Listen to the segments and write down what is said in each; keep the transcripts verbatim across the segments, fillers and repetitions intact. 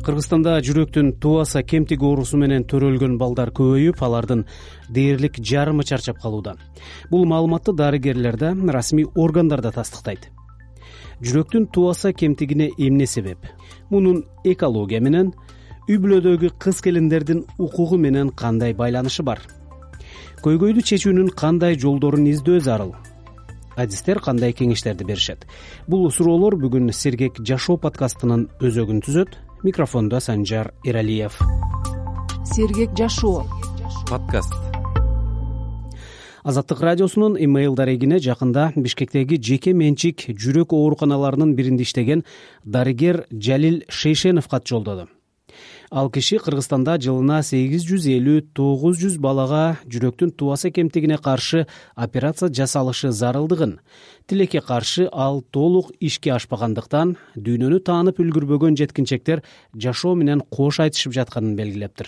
Кыргызстанда жүрөктүн туаса кемтиги оорусу менен төрөлгөн балдар көбөйүп, алардын дээрлик жарымы чарчап калууда. Бул маалыматты дарыгерлер да, расмий органдар да тастыктайт. Жүрөктүн туаса кемтигине эмне себеп? Мунун экология менен, үй бүлөдөгү кыз келиндердин укугу менен кандай байланышы бар? Көйгөйдү чечүүнүн кандай жолдорун издөө зарыл? Адистер кандай кеңештерди беришет? Бул суроолор бүгүн Сергек жашоо подкастынын өзөгүн түзөт. Микрофондо Санжар Эралиев. Сергек жашоо подкаст. Азаттык радиосунун имейл дарегине жакында Бишкектеги жеке менчик жүрөк ооруканаларынын биринде иштеген дарыгер Жалил Шейшенов кат жолдоду. Ал киши Кыргызстанда жылына сегиз жүз элүү — тогуз жүз балага жүрөктүн туаса кемтигине каршы операция жасалышы зарылдыгын, тилекке каршы ал толук ишке ашпагандыктан дүйнөнү таанып үлгүрбөгөн жеткинчектер жашоо менен кош айтышып жатканын белгилептир.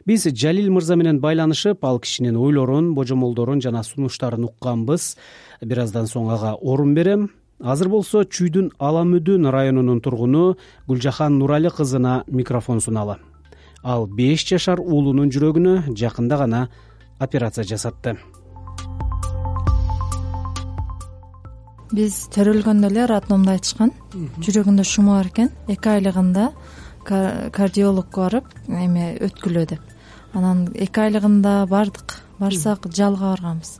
Биз Жалил мырза менен байланышып, ал кишинин ойлорун, божомолдорун жана сунуштарын укканбыз. Бир аздан соң ага орун берем. Азыр болсо Чүйдүн Аламүдүн районунун тургуну Гүлжахан Нурали кызына микрофон суналы. Ал беш жашар уулунун жүрөгүнө жакында гана операция жасатты. Биз төрөлгөндө эле роддомдо айтышкан, жүрөгүндө шума бар экен, эки айлыгында кардиологко барып, эме өткүлөө деп. Анан эки айлыгында бардык, барсак жалга барганбыз.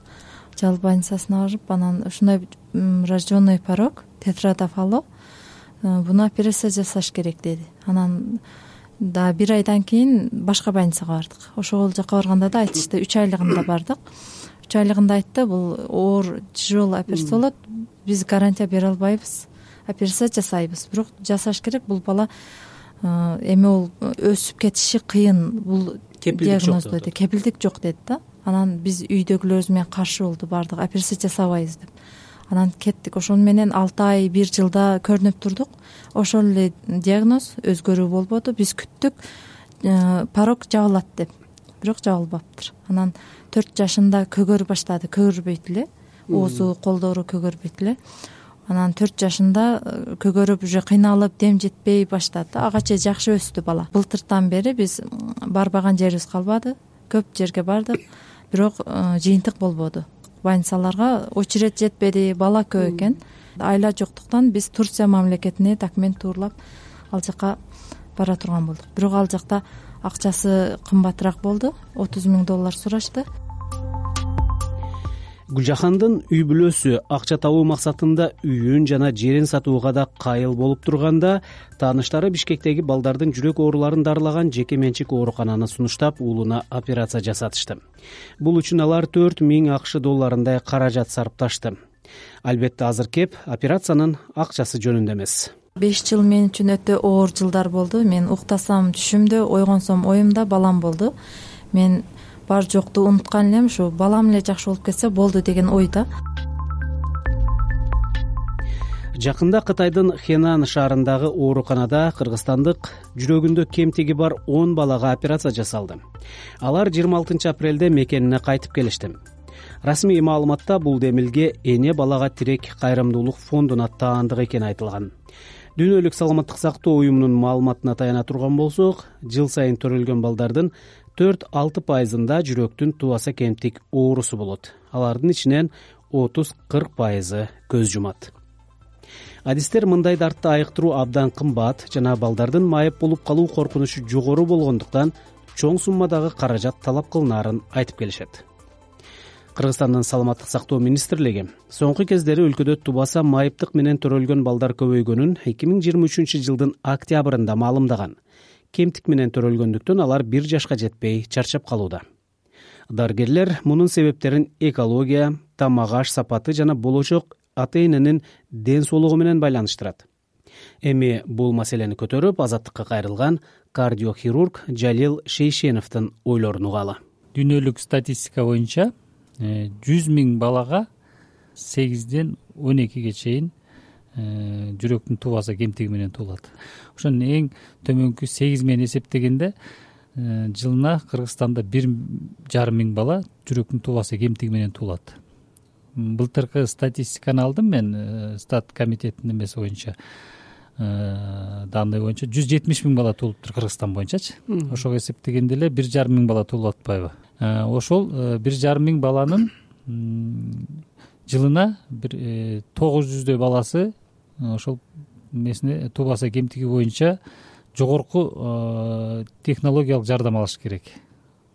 Жал больницасына барып, анан ушундай рожденный порог, тетрадофало, буну операция жасаш керек деди. Анан да бир айдан кийин башка больницага бардык. Ошол жака барганда да айтышты, үч айлыгында бардык. үч айлыгында айтты, бул оор тяжелый операция болот, биз гарантия бере албайбыз, операция жасайбыз, бирок жасаш керек. Бул бала эми ол өсүп кетиши кыйын, бул диагноз деди, кепилдик жок деди да. Анан биз үйдөгүлөрүбүз менен каршы болду, бардык, операция жасабайбыз деп. Анан кеттик. Ошону менен алты ай, бир жылда көрүнүп турдук. Ошол эле диагноз, өзгөрүү болбоду. Биз күттүк, порог жабылат деп. Бирок жабылбаптыр. Анан төрт жашында көгөрүп баштады, көгөрбөйт эле. Оозу, колдору көгөрбөйт эле. Анан төрт жашында көгөрүп, уже кыйналып, дем жетпей баштады. Ага чейин жакшы өстү бала. Былтыртан бери биз барбаган жерибиз калбады. Көп жерге бардык, бирок жыйынтык болбоду. Больницаларга очередь жетпеди, бала көп экен. Айла жоктуктан биз Турция мамлекетине документ тууралап ал жака бара турган болдук. Бирок ал жакта акчасы кымбатыраак болду, отуз миң доллар сурашты. Гүлжахандын үй бүлөсү акча табуу максатында үйүн жана жерин сатууга да кайыл болуп турганда, тааныштары Бишкектеги балдардын жүрөк ооруларын дарылаган жеке менчик оорукананы сунуштап, уулуна операция жасатышты. Бул үчүн алар төрт миң акш долларындай каражат сарпташты. Албетте азыр кеп операциянын акчасы жөнүндө эмес. беш жыл мен үчүн өтө оор жылдар болду. Мен уктасам түшүмдө, ойгонсом оюмда балам болду. Мен бар жокту унуткан элем, ушу балам эле жакшы болуп кетсе болду деген ойда. Жакында Кытайдын Хенан шаарындагы ооруканада кыргызстандык жүрөгүндө кемтиги бар он балага операция жасалды. Алар жыйырма алтынчы апрелде мекенине кайтып келишти. Расмий маалыматта бул демилге Эне балага тирек кайрымдуулук фондуна таандык экени айтылган. Дүйнөлүк саламаттык сактоо уюмунун маалыматына таяна турган болсок, жыл сайын төрөлгөн балдардын төрт — алты пайызында жүрөктүн туаса кемтик оорусу болот. Алардын ичинен отуз — кырк пайызы көз жумат. Адистер мындай дартты айыктыруу абдан кымбат жана балдардын майып болуп калуу коркунучу жогору болгондуктан чоң суммадагы каражат талап кылынаарын айтып келишет. Кыргызстандын саламаттык сактоо министрлиги соңку кездери өлкөдө тубаса майыптык менен төрөлгөн балдар көбөйгөнүн эки миң жыйырма үчүнчү жылдын октябрында маалымдаган. Кемтик менен төрөлгөндүктөн алар бир жашка жетпей чарчап калууда. Дарыгерлер мунун себептерин экология, тамак аш сапаты жана болочок ата-эненин ден соолугу менен байланыштырат. Эми бул маселени көтөрүп, Азаттыкка кайрылган кардиохирург Жалил Шейшеновдун ойлорун угалы. Дүйнөлүк статистика боюнча жүз миң балага сегизден он экиге чейин жүрөктүн туаса кемтиги менен туулат. Ошонун эң төмөнкү сегиз менен эсептегенде жылына Кыргызстанда бир жарым миң бала жүрөктүн туаса кемтиги менен туулат. Былтыркы статистиканы алдым мен, стат комитетинин эмеси боюнча. данный боюнча жүз жетимиш миң бала туулуптур Кыргызстан боюнчачы. Ошого эсептегенде эле бир жарым миң бала туулуп атпайбы? Ошол бир жарым миң баланын жылына бир тогуз жүздөй баласы ошол эмесине туубаса кемтиги боюнча жогорку технологиялык жардам алыш керек.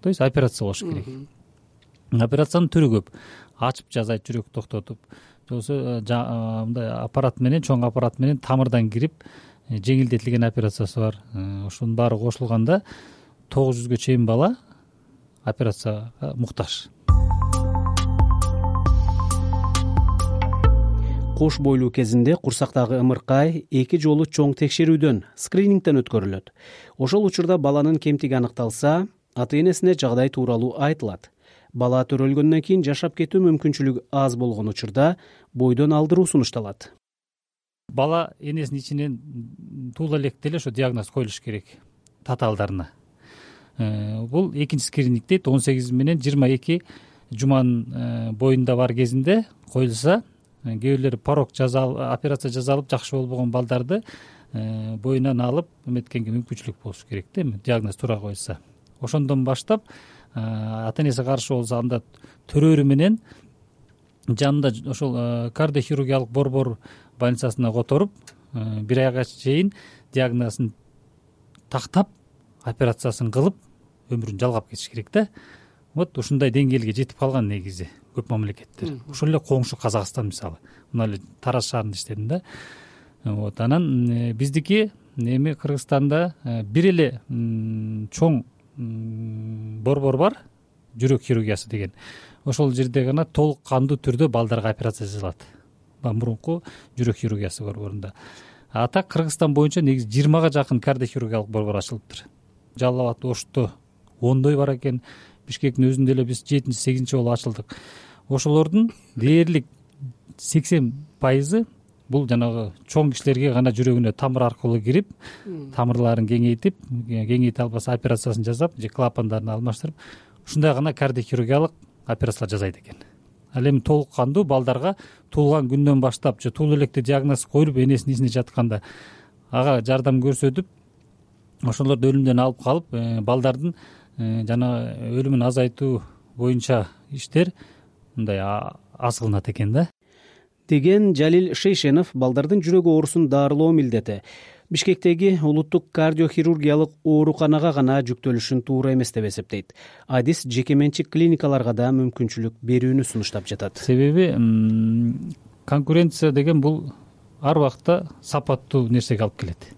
То есть операция кылыш керек. Операциянын түрү көп. Ачып жасайт, жүрөк токтотуп, болбосо мындай аппарат менен, чоң аппарат менен тамырдан кирип жеңилдетилген операциясы бар. Ошонун баары кошулганда тогуз жүзгө чейин бала операцияга муктаж. Кош бойлуу кезинде курсактагы ымыркай эки жолу чоң текшерүүдөн, скринингден өткөрүлөт. Ошол учурда баланын кемтиги аныкталса, ата-энесине жагдай тууралуу айтылат. Бала төрөлгөндөн кийин жашап кетүү мүмкүнчүлүгү аз болгон учурда бойдон алдыруу сунушталат. Бала энесинин ичинен туула электе эле ошо диагноз коюлуш керек татаалдарына. Бул экинчи скрининг дейт. он сегиз менен жыйырма эки жуманын боюнда бар кезинде коюлса, кээ бирлери порог операция жасалып жакшы болбогон балдарды боюнан алып эметкенге мүмкүнчүлүк болуш керек да, эми диагноз туура коюлса. Ошондон баштап ата-энеси каршы болсо анда төрөрү менен жанында ошол кардиохирургиялык борбор больницасына которуп бир айга чейин диагнозун тактап операциясын кылып өмүрүн жалгап кетиш керек да. Вот ушундай деңгээлге жетип калган негизи көп мамлекеттер. Ошол эле коңшу Казакстан мисалы. Мына эле Тараз шаарында иштедим да. Вот анан биздики эми Кыргызстанда бир эле чоң борбор бар, жүрөк хирургиясы деген. Ошол жерде гана толук кандуу түрдө балдарга операция жасалат. Мурунку жүрөк хирургиясы борборунда. А так Кыргызстан боюнча негизи жыйырмага жакын кардиохирургиялык борбор ачылыптыр. Жалал абад, Ошто ондой бар экен. Бишкектин өзүндө эле биз жетинчи сегизинчи жолу ачылдык. Ошолордун дээрлик сексен пайызы бул жанагы чоң кишилерге гана жүрөгүнө тамыр аркылуу кирип, тамырларын кеңейтип, кеңейте албаса операциясын жасап, же клапандарын алмаштырып, ушундай гана кардиохирургиялык операциялар жасайт экен. Ал эми толук кандуу балдарга туулган күндөн баштап же туулуу электе диагноз коюлуп, энесинин ичинде жатканда ага жардам көрсөтүп, ошолорду өлүмдөн алып калып, балдардын жана өлүмүн азайтуу боюнча иштер мындай аз кылынат экен да. Деген Жалил Шейшенов балдардын жүрөк оорусун дарылоо милдети Бишкектеги улуттук кардиохирургиялык ооруканага гана жүктөлүшүн туура эмес деп эсептейт. Адис жеке менчик клиникаларга да мүмкүнчүлүк берүүнү сунуштап жатат. Себеби конкуренция деген бул ар убакта сапаттуу нерсеге алып келет.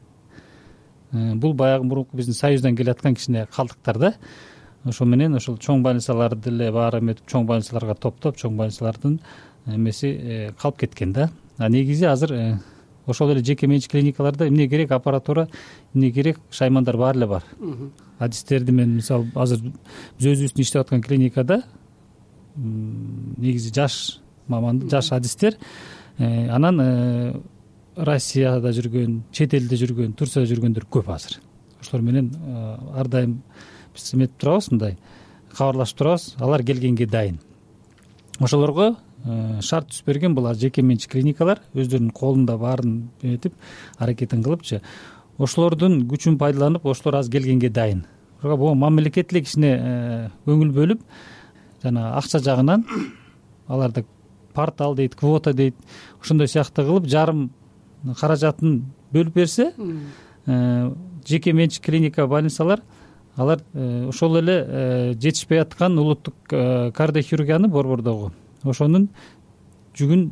Бул баягы мурунку биздин союздан келаткан кичине калдыктар да. Ошо менен ошол чоң больницаларды деле баары эметип, чоң больницаларга топтоп, чоң больницалардын эмеси калып кеткен да. А негизи азыр ошол эле жеке менчик клиникаларда эмне керек, аппаратура эмне керек, шаймандар баары эле бар. Адистерди мен мисалы азыр биз өзүбүздүн иштеп аткан клиникада негизи жаш маман, жаш адистер, анан Россияда жүргөн, чет элде жүргөн, Турцияда жүргөндөр көп азыр. Ошолор менен ар дайым биз эметип турабыз, мындай кабарлашып турабыз, алар келгенге дайын. Ошолорго шарт түзүп берген булар жеке менчик клиникалар, өздөрүнүн колунда баарын этип аракетин кылыпчы. Ошолордун күчүн пайдаланып, ошолор аз келгенге дайын. Ошого бул мамлекет эле кичине көңүл бөлүп, жана акча жагынан аларды портал дейт, квота дейт, ошондой сыяктуу кылып жарым каражатын бөлүп берсе, жеке менчик клиника, больницалар алар ошол эле жетишпей аткан улуттук кардиохирургияны борбордогу ошонун жүгүн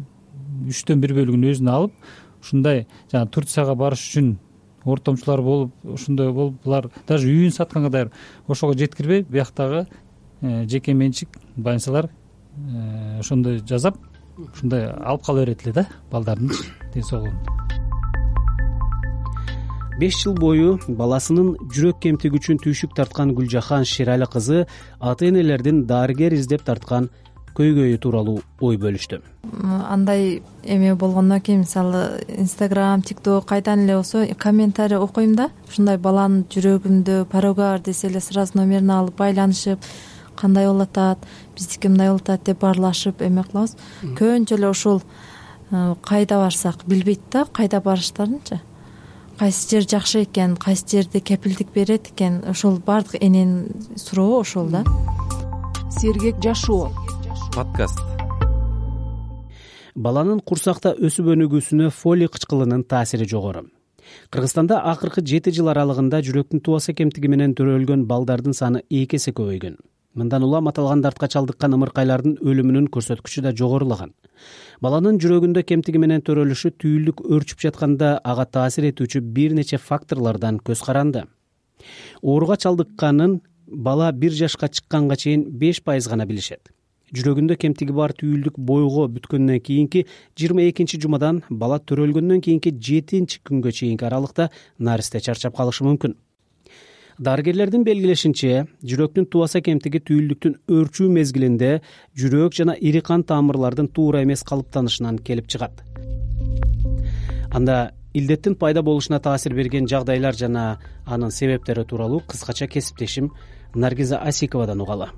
үчтөн бир бөлүгүн өзүнө алып, ушундай жана Турцияга барыш үчүн ортомчулар болуп, ошондой болуп, булар даже үйүн сатканга даяр, ошого жеткирбей, бияктагы жеке менчик больницалар ошондой жасап, ушундай алып кала берет эле да балдардын ден соолугун. беш жыл бою баласынын жүрөк кемтиги үчүн түйшүк тарткан Гүлжахан Шерали кызы ата-энелердин дарыгер издеп тарткан көйгөйү тууралуу ой бөлүштү. Андай эме болгондон кийин мисалы Instagram, TikTok кайдан эле болсо комментарий окуйм да, ушундай баланын жүрөгүндө порогу бар десе эле сразу номерин алып байланышып, кандай болуп атат, биздики мындай болуп атат деп баарлашып эме кылабыз. Көбүнчө эле ушул кайда барсак билбейт да, кайда барыштарынчы. кайсы жер жакшы экен, кайсы жерде кепилдик берет экен, ошол баардык эненин сурообу ошол да. Сергек жашоо подкаст. Баланын курсакта өсүп өнүгүүсүнө фолий кычкылынын таасири жогору. Кыргызстанда акыркы жети жыл аралыгында жүрөктүн тубаса кемтиги менен төрөлгөн балдардын саны эки эсе көбөйгөн. Мындан улам аталган дартка чалдыккан ымыркайлардын өлүмүнүн көрсөткүчү да жогорулаган. Баланын жүрөгүндө кемтиги менен төрөлүшү түйүлдүк өөрчүп жатканда ага таасир этүүчү бир нече факторлордон көз каранды. Ооруга чалдыкканын бала бир жашка чыкканга чейин беш пайыз гана билишет. Жүрөгүндө кемтиги бар түйүлдүк бойго бүткөндөн кийинки жыйырма экинчи жумадан бала төрөлгөндөн кийинки жетинчи күнгө чейинки аралыкта наристе чарчап калышы мүмкүн. Дарыгерлердин белгилешинче, жүрөктүн тубаса кемтиги түйүлдүктүн өөрчүү мезгилинде жүрөк жана ири кан тамырлардын туура эмес калыптанышынан келип чыгат. Анда илдеттин пайда болушуна таасир берген жагдайлар жана анын себептери тууралуу кыскача кесиптешим Наргиза Асиковадан угалы.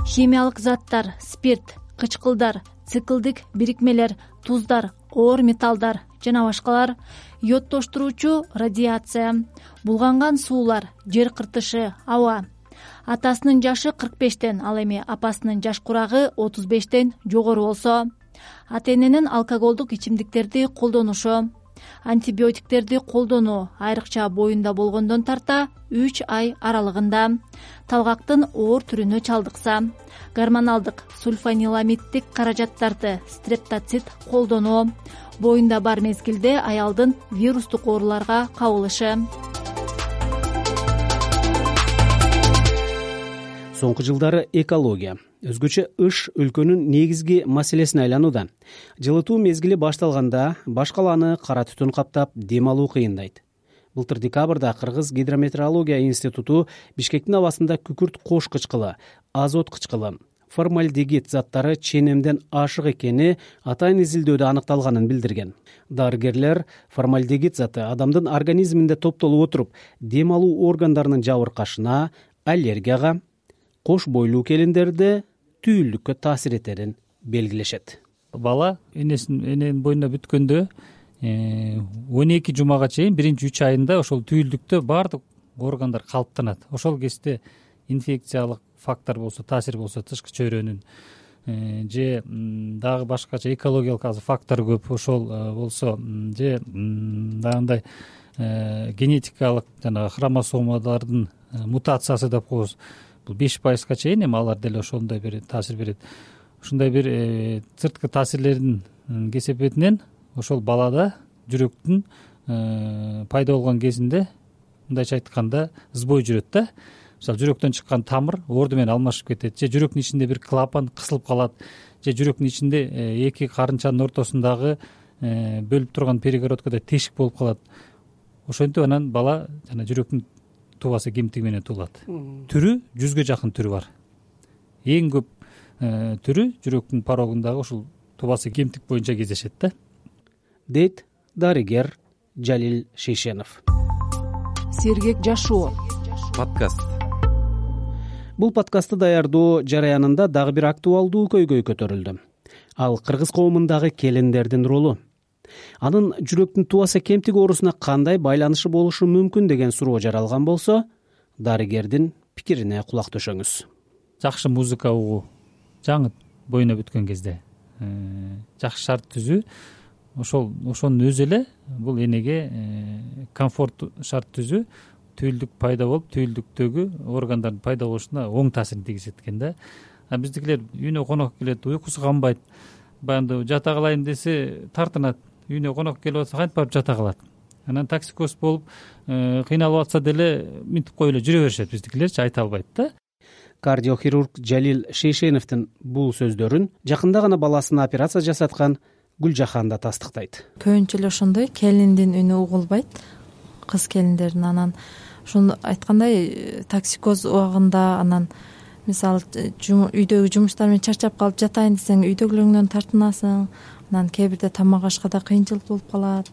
Химиялык заттар, спирт, кычкылдар, циклдик бирикмелер, туздар, оор металлдар жана башкалар, йодтоштуруучу радиация, булганган суулар, жер кыртышы, аба. Атасынын жашы кырк бештен, ал эми апасынын жаш курагы отуз бештен жогору болсо, ата-эненин алкоголдук ичимдиктерди колдонушу, антибиотиктерди колдонуу айрыкча боюнда болгондон тарта үч ай аралыгында, талгактын оор түрүнө чалдыкса, гормоналдык сульфаниламиддик каражаттарды стрептоцит колдонуу, боюнда бар мезгилде аялдын вирустук ооруларга кабылышы. Соңку жылдары экология, өзгөчө ыш өлкөнүн негизги маселесине айланууда. Жылытуу мезгили башталганда баш калааны кара түтүн каптап, дем алуу кыйындайт. Былтыр декабрда Кыргыз гидрометеорология институту Бишкектин абасында күкүрт кош кычкылы, азот кычкылы, формальдегид заттары ченемден ашык экени атайын изилдөөдө аныкталганын билдирген. Дарыгерлер формальдегид заты адамдын организминде топтолуп отуруп, дем алуу органдарынын жабыркашына, аллергияга, кош бойлуу келиндерде түйүлдүккө таасир этерин белгилешет. Бала энесин эненин боюнда бүткөндө он эки жумага чейин биринчи үч айында ошол түйүлдүктө баардык органдар калыптанат. Ошол кезде инфекциялык фактор болсо, таасир болсо, тышкы чөйрөнүн же дагы башкача экологиялык азыр фактор көп, ошол болсо же дагындай генетикалык жана хромосомалардын мутациясы деп коебуз. Бул беш пайызга чейин эми алар деле ошондой бир таасир берет. Ушундай бир сырткы таасирлердин кесепетинен ошол балада жүрөктүн пайда болгон кезинде, мындайча айтканда, сбой жүрөт да. Мисалы, жүрөктөн чыккан тамыр орду менен алмашып кетет, же жүрөктүн ичинде бир клапан кысылып калат, же жүрөктүн ичинде эки карынчанын ортосундагы бөлүп турган перегородкада тешик болуп калат. Ошентип анан бала жана жүрөктүн тубаса кемтиги менен туулат. Түрү жүзгө жакын түрү бар. Эң көп түрү жүрөктүн порогундагы ушул тубаса кемтик боюнча кездешет да. Дейт дарыгер Жалил Шейшенов. Сергек жашоо подкаст. Бул подкастты даярдоо жараянында дагы бир актуалдуу көйгөй көтөрүлдү. Ал кыргыз коомундагы келиндердин ролу. Анын жүрөктүн тубаса кемтиги оорусуна кандай байланышы болушу мүмкүн деген суроо жаралган болсо, дарыгердин пикирине кулак төшөңүз. Жакшы музыка угуу, жаңы боюна бүткөн кезде жакшы шарт түзүү, ошол ошонун өзү эле бул энеге комфорт шарт түзүү, түйүлдүк пайда болуп, түйүлдүктөгү органдардын пайда болушуна оң таасирин тийгизет экен да. А биздикилер үйүнө конок келет, уйкусу канбайт, баягы жата калайын десе тартынат. Үйүнө конок келип атса кантип барып жата калат. Анан токсикоз болуп кыйналып атса деле минтип коюп эле жүрө беришет, биздикилерчи айта албайт да. Кардиохирург Жалил Шейшеновдун бул сөздөрүн жакында гана баласына операция жасаткан Гүлжахан да тастыктайт. Көбүнчө эле ошондой келиндин үнү угулбайт, кыз келиндердин. Анан ошону айткандай токсикоз убагында анан мисалы үйдөгү жумуштар менен чарчап калып жатайын десең үйдөгүлөрүңдөн тартынасың, анан кээ бирде тамак ашкада кыйынчылык болуп калат,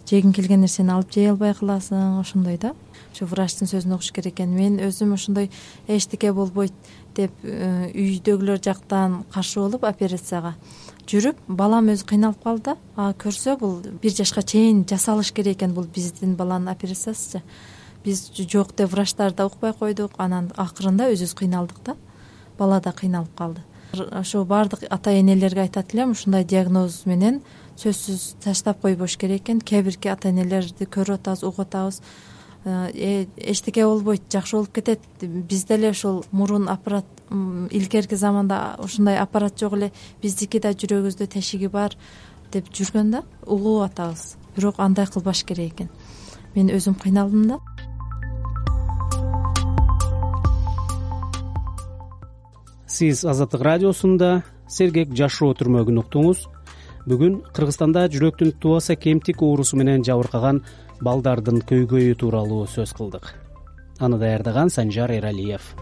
жегиң келген нерсени алып жей албай каласың, ошондой да. Ошо врачтын сөзүн угуш керек экен. Мен өзүм ошондой эчтеке болбойт деп үйдөгүлөр жактан каршы болуп операцияга, жүрүп балам өзү кыйналып калды да, а көрсө бул бир жашка чейин жасалыш керек экен, бул биздин баланын операциясычы. Биз жок деп врачтар да укпай койдук, анан акырында өзүбүз кыйналдык да, бала да кыйналып калды. Ошо баардык ата энелерге айтат элем, ушундай диагноз менен сөзсүз таштап койбош керек экен. Кээ бирки ата энелерди көрүп атабыз, угуп атабыз, эчтеке болбойт, жакшы болуп кетет, биз деле ошол мурун аппарат, илгерки заманда ушундай аппарат жок эле, биздики да жүрөгүбүздө тешиги бар деп жүргөн да, угуп атабыз. Бирок андай кылбаш керек экен. Мен өзүм кыйналдым да. Сиз Азаттык радиосунда сергек жашоо түрмөгүн уктуңуз. Бүгүн Кыргызстанда жүрөктүн тубаса кемтик оорусу менен жабыркаган балдардын көйгөйү тууралуу сөз кылдык. Аны даярдаган Санжар Эралиев.